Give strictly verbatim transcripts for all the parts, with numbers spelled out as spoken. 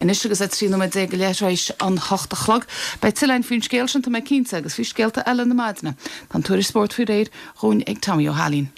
Anois agus é trí nóiméad déag go leith tar éis an hocht a chlog. Beidh tuilleadh faoin scéal sin tá mé cinnte agus faoi scéalta eile na maidine. Tá an tuairisc spóirt faoi réir dhúinn ag Tommy Ó hAilín.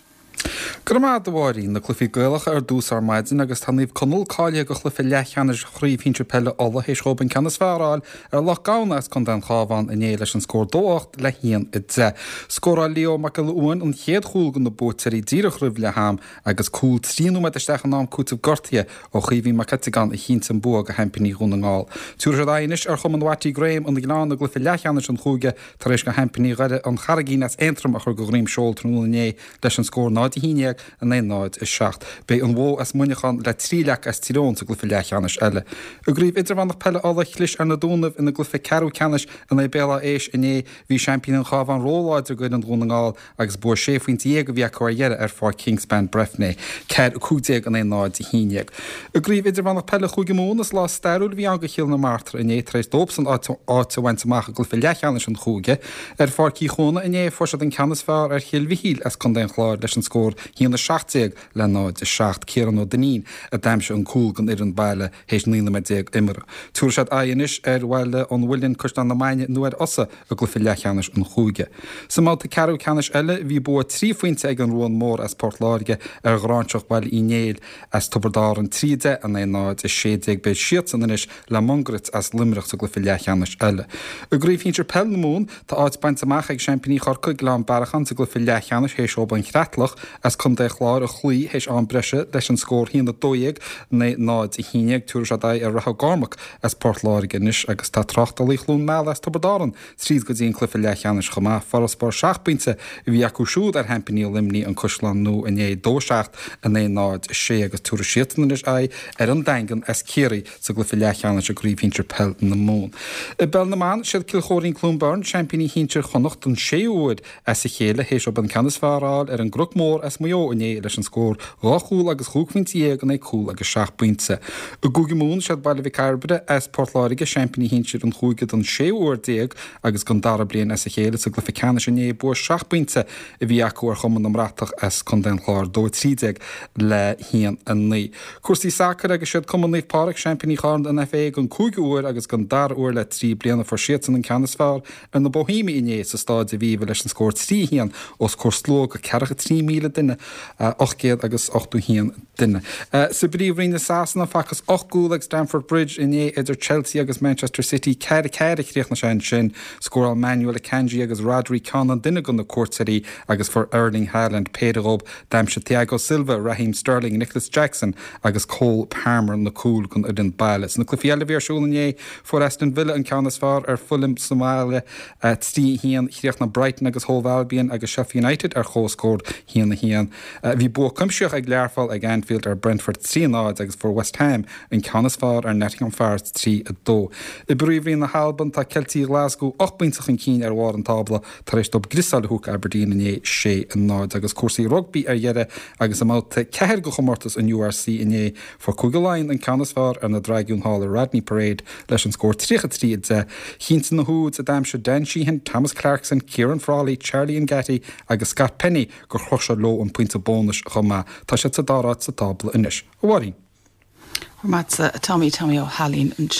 Go raibh maith agat a Mháirín na cluichí Gaelacha ar dtús ar maidin agus tá Naomh Conaill cáilithe do chluiche leathcheannais chraobh shinsir peile Uladh théis dóibh an ceann is fearr a fháil ar Loch Gamhna as Contae an Chabháin inné leis an scór dó ocht le haon a deich. Scóráil Leo Mac Giolla Uain an chéad chúl do na buaiteoirí díreach roimh leath am agus cúl trí nóiméad isteach in am cúitimh gortaithe ó Chaoimhín Mac Eiteagáin a chinntigh an bua do sheaimpíní Dhún na nGall. Tabharfaidh siad aghaidh anois ar Chumann Watty Graham an Ghleann i gcluiche leathcheannais an chúige tar éis do sheaimpíní Dhoire an Charraigín as Aontroim a chur de dhroim seoil tráthnóna inné leis an scór náid a haon déag in aghaidh náid a seacht. Beidh an Mhó as Muineachán le Trí Leac as Tír Eoghain sa gcluiche leathcheannais eile. I gcraobh idirmheánach peile Uladh chlis ar na Dúnaibh ina gcluiche ceathrú ceannais in aghaidh Béal Átha hÉis inné bhí seaimpíní an Chabháin róláidir d'fhoireann Dhún na nGall agus bua sé phointe déag a bhí acu ar dheireadh ar Pháirc Kingspan Breffni. Ceathair a cúig déag in aghaidh náid a haon déag. I gcraobh idirmheánach peile Chúige Mumhan is lá stairiúil a bhí ann do Chill na Martra inné tar éis dóibhsean áit a bhaint amach i gcluiche leathcheannais an chúige. Ar Pháirc Uí Chuana inné fuair siad an ceann is fearr ar Chill Mhichíl as Contae an Chláir leis an scór haon a seacht déag le náid a seacht Ciarán Ó Duinnín a d'aimsigh an cúl don fhoireann baile théis naoi nóiméad déag imeartha. Tabharfaidh siad aghaidh anois ar Bhaile an Mhuilinn Caisleán na Mainge nó ar Fhosa i gcluiche leathcheannais an chúige. Sa mbabhta ceathrú ceannais eile bhí bua trí phointe ag an Ruan Mór as Port Láirge ar Ghráinseach Bhaile Uí Néill as Tiobraid Árann trí deich in aghaidh náid a sé déag beidh siadsan anois le Mungairit as Luimneach sa gcluiche leathcheannais eile. I gcraobh shinsir peil na Mumhan tá áit bainte amach ag seaimpíní Chorcaí Gleann Bearacháin sa gcluiche leathcheannais théis dóibh an Chreatlach as Contae Chláir a chloí théis am breise leis an scór haon a dó dhéag in aghaidh náid a haon déag tabharfaidh siad aghaidh ar Rath Ó gCormac as Port Láirge anois agus tá tráchtálaí Chluain Meala as Tiobraid Árann tríd go dtí an cluiche leathcheannais chomh maith farasbarr seacht bpointe a bhí acu siúd ar sheaimpíní Luimnigh an Caisleán Nua inné dó seacht in aghaidh náid a sé agus tabharfaidh siadsan anois aghaidh ar an Daingean as Ciarraí sa gcluiche leathcheannais i gcraobh shinsir peil na Mumhan. I bpeil na mban siad Cill Chóirín Cluain Bheirn seaimpíní shinsir Chonnacht don séú huair as a chéile théis dóibh an ceann is fearr a fháil ar an gCnoc Mór as Maigh Eo inné leis an scór dhá chúl agus chúig phointe dhéag in aghaidh cúl agus seacht bpointe. I gCúige Mumhan siad Baile Mhic Cairbre as Port Láirge seaimpíní shinsir an chúige don séú huair déag agus don dara bliain as a chéile sa gcluiche ceannais inné bua seacht bpointe a bhí acu ar Chumann na mBratach as Contae an Chláir dó trí déag le haon a naoi. Cúrsaí sacair agus siad Cumann Naomh Pádraig seaimpíní Chorn an FA don cúigiú huair agus don dara huair le trí bliana fuair siadsan an ceann is fearr ar na Bohemiaigh inné sa Staid Aviva leis an scór trí haon os comhair slua de ceathracha trí míle duine ocht gcéad agus ochtó haon duine. Sa bPríomhroinn i Sasana facthas ocht gcúl ag Stamford Bridge inné idir Chelsea agus Manchester City ceathair ceathair a chríochnaigh sé ansin scóráil Manuel Akanji agus Rodri ceann an duine do na cuairteoirí agus fuair Erling Haaland péire dóibh d'aimsigh Thiago Silva, Raheem Sterling, Nicholas Jackson agus Cole Palmer na cúil don fhoireann baile. Sna cluichí eile a bhí ar siúl inné fuair Aston Villa an ceann is fearr ar Fulham sa mbaile trí haon chríochnaigh Brighton agus Hove Albion agus Sheffield United ar comhscór haon a haon. Bhí bua cuimsitheach ag Learpholl ag Anfield ar Brentford trí náid agus fuair West Ham an ceann is fearr ar Nottingham Forest trí a dó. I bPríomhroinn na hAlban tá Ceiltigh Glasgow ocht bpointe chun cinn ar bharr an tábla tar éis dóibh griosáil a thabhairt Aberdeen inné sé a náid agus cúrsaí rugbaí ar dheireadh agus i mbabhta ceathair de chomórtas an URC inné fuair Cúige Laighean an ceann is fearr ar na Dragúin thall i Rodney Parade leis an scór tríocha trí a deich. Chinntigh na húid a d'aimsigh Dan Sheehan, Thomas Clarkson, Kieran Frawley, Charlie N'Ghatty agus Scott Penny gur chroch siad leo an pointe bónais chomh maith. Tá siad sa dara háit sa tábla anois. A Mháirín. Maith Tommy Tommy Ó hAilín ansin.